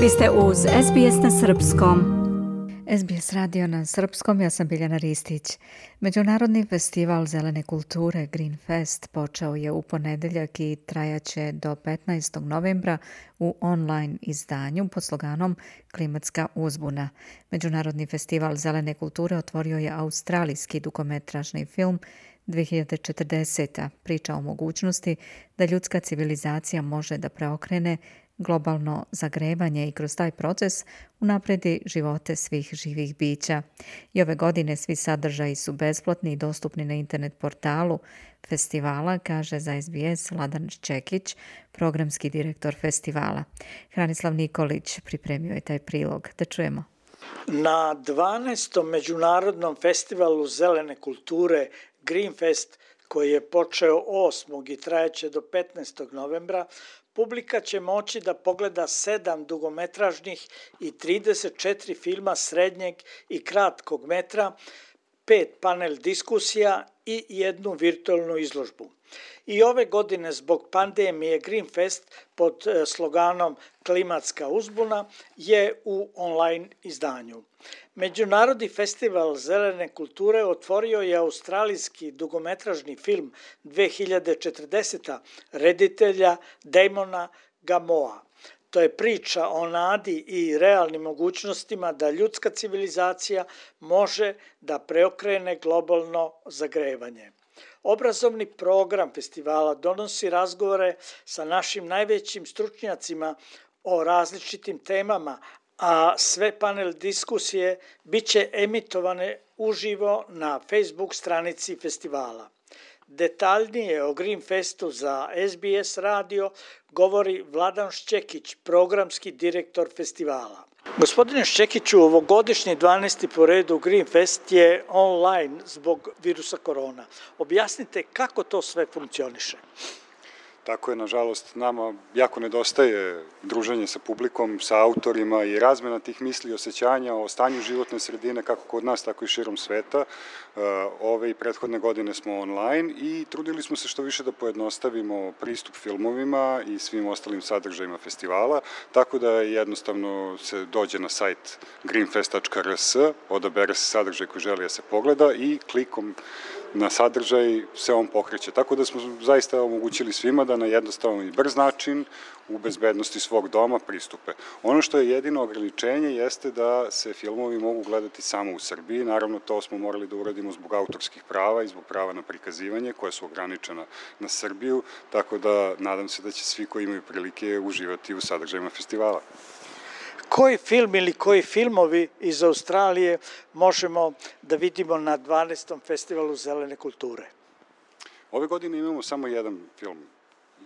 Vi ste uz SBS na Srpskom. SBS radio na Srpskom, ja sam Biljana Ristić. Međunarodni festival zelene kulture Green Fest počeo je u ponedeljak i trajaće do 15. novembra u online izdanju pod sloganom Klimatska uzbuna. Međunarodni festival zelene kulture otvorio je australijski dugometražni film 2040. Priča o mogućnosti da ljudska civilizacija može da preokrene globalno zagrevanje i kroz taj proces unapredi živote svih živih bića. I ove godine svi sadržaji su besplatni i dostupni na internet portalu festivala, kaže za SBS Vladan Šćekić, programski direktor festivala. Hranislav Nikolić pripremio je taj prilog. Da čujemo. Na 12. Međunarodnom festivalu zelene kulture Green Fest, koji je počeo 8. i trajaće do 15. novembra, publika će moći da pogleda 7 dugometražnih i 34 filma srednjeg i kratkog metra, 5 panel diskusija i jednu virtualnu izložbu. I ove godine zbog pandemije Green Fest pod sloganom Klimatska uzbuna je u online izdanju. Međunarodni festival zelene kulture otvorio je australijski dugometražni film 2040. reditelja Damona Gamoa. To je priča o nadi i realnim mogućnostima da ljudska civilizacija može da preokrene globalno zagrevanje. Obrazovni program festivala donosi razgovore sa našim najvećim stručnjacima o različitim temama, a sve panel diskusije biće emitovane uživo na Facebook stranici festivala. Detaljnije o Green Festu za SBS radio govori Vladan Šćekić, programski direktor festivala. Gospodine Šćekiću, ovogodišnji 12. po redu Green Fest je online zbog virusa korona. Objasnite kako to sve funkcioniše. Tako je, nažalost, nama jako nedostaje druženje sa publikom, sa autorima i razmena tih misli i osjećanja o stanju životne sredine kako kod nas, tako i širom sveta. Ove i prethodne godine smo online i trudili smo se što više da pojednostavimo pristup filmovima i svim ostalim sadržajima festivala, tako da jednostavno se dođe na sajt greenfest.rs, odabere se sadržaj koji želi da se pogleda i klikom na sadržaj se on pokreće. Tako da smo zaista omogućili svima da na jednostavan i brz način u bezbednosti svog doma pristupe. Ono što je jedino ograničenje jeste da se filmovi mogu gledati samo u Srbiji. Naravno, to smo morali da uradimo zbog autorskih prava i zbog prava na prikazivanje koje su ograničena na Srbiju, tako da nadam se da će svi koji imaju prilike uživati u sadržajima festivala. Koji film ili koji filmovi iz Australije možemo da vidimo na 12. festivalu zelene kulture? Ove godine imamo samo jedan film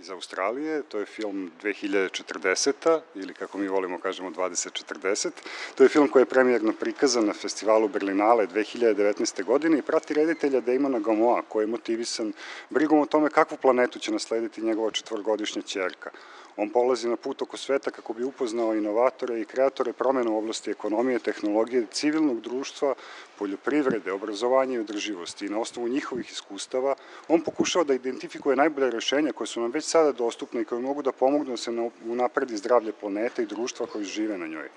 iz Australije, to je film 2040. ili kako mi volimo kažemo 2040. To je film koji je premijerno prikazan na festivalu Berlinale 2019. godine i prati reditelja Damona Gamoa, koji je motivisan brigom o tome kakvu planetu će naslediti njegova 4-godišnja ćerka. On polazi na put oko sveta kako bi upoznao inovatore i kreatore promjena u oblasti ekonomije, tehnologije, civilnog društva, poljoprivrede, obrazovanja i održivosti. I na osnovu njihovih iskustava on pokušava da identifikuje najbolje rešenja koje su nam već sada dostupne i koje mogu da pomognu da se unapredi zdravlje planete i društva koji žive na njoj.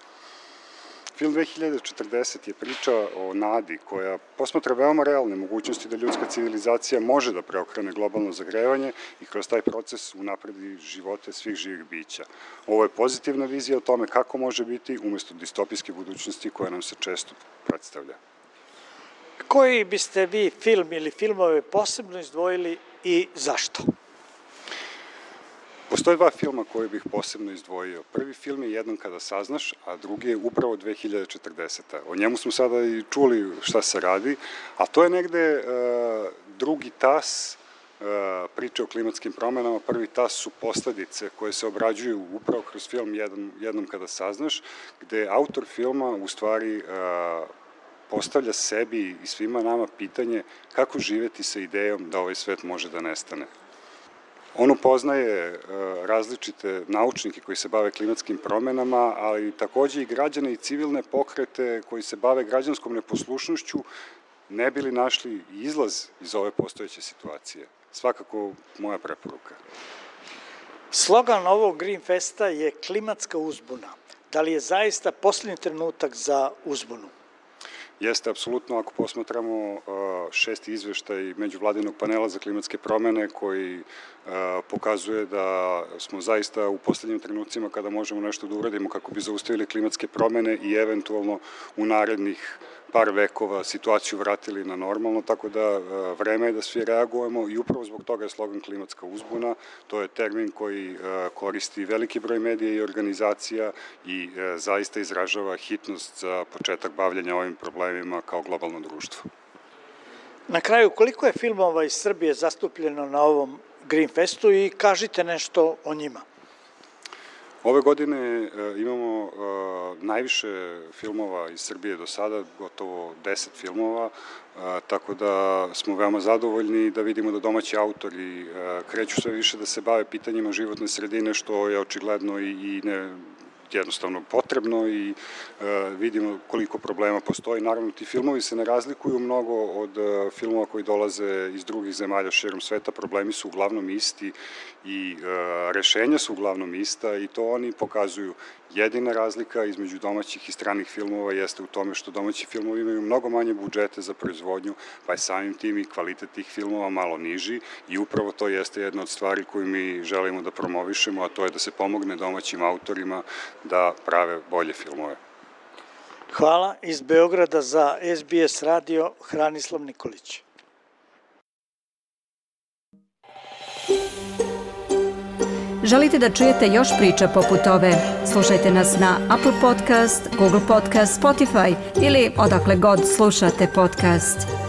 Film 2040 je priča o nadi koja posmatra veoma realne mogućnosti da ljudska civilizacija može da preokrene globalno zagrevanje i kroz taj proces unapredi živote svih živih bića. Ovo je pozitivna vizija o tome kako može biti umesto distopijske budućnosti koja nam se često predstavlja. Koji biste vi film ili filmove posebno izdvojili i zašto? Postoje dva filma koje bih posebno izdvojio. Prvi film je Jednom kada saznaš, a drugi je upravo 2040. O njemu smo sada i čuli šta se radi, a to je negde drugi tas priče o klimatskim promenama. Prvi tas su posledice koje se obrađuju upravo kroz film Jednom kada saznaš, gde autor filma u stvari postavlja sebi i svima nama pitanje kako živeti sa idejom da ovaj svet može da nestane. On upoznaje različite naučnike koji se bave klimatskim promenama, ali takođe i građane i civilne pokrete koji se bave građanskom neposlušnošću, ne bili našli izlaz iz ove postojeće situacije. Svakako moja preporuka. Slogan ovog Green Festa je klimatska uzbuna. Da li je zaista posljednji trenutak za uzbunu? Jeste, apsolutno, ako posmatramo 6. izveštaj međuvladinog panela za klimatske promene koji pokazuje da smo zaista u posljednjim trenucima kada možemo nešto da uradimo kako bi zaustavili klimatske promene i eventualno u narednih par vekova situaciju vratili na normalno, tako da vreme je da svi reagujemo i upravo zbog toga je slogan klimatska uzbuna. To je termin koji koristi veliki broj medija i organizacija i zaista izražava hitnost za početak bavljenja ovim problemima kao globalno društvo. Na kraju, koliko je filmova iz Srbije zastupljeno na ovom Green Festu i kažite nešto o njima? Ove godine imamo najviše filmova iz Srbije do sada, gotovo 10 filmova, tako da smo veoma zadovoljni da vidimo da domaći autori kreću sve više da se bave pitanjima životne sredine, što je očigledno i jednostavno potrebno i vidimo koliko problema postoji. Naravno, ti filmovi se ne razlikuju mnogo od filmova koji dolaze iz drugih zemalja širom sveta. Problemi su uglavnom isti i rešenja su uglavnom ista i to oni pokazuju. Jedina razlika između domaćih i stranih filmova jeste u tome što domaći filmovi imaju mnogo manje budžete za proizvodnju, pa je samim tim i kvalitet tih filmova malo niži i upravo to jeste jedna od stvari koju mi želimo da promovišemo, a to je da se pomogne domaćim autorima da prave bolje filmove. Hvala. Iz Beograda za SBS radio Hranislav Nikolić. Želite da čujete još priča poput ove? Slušajte nas na Apple Podcast, Google Podcast, Spotify ili odakle god slušate podcast.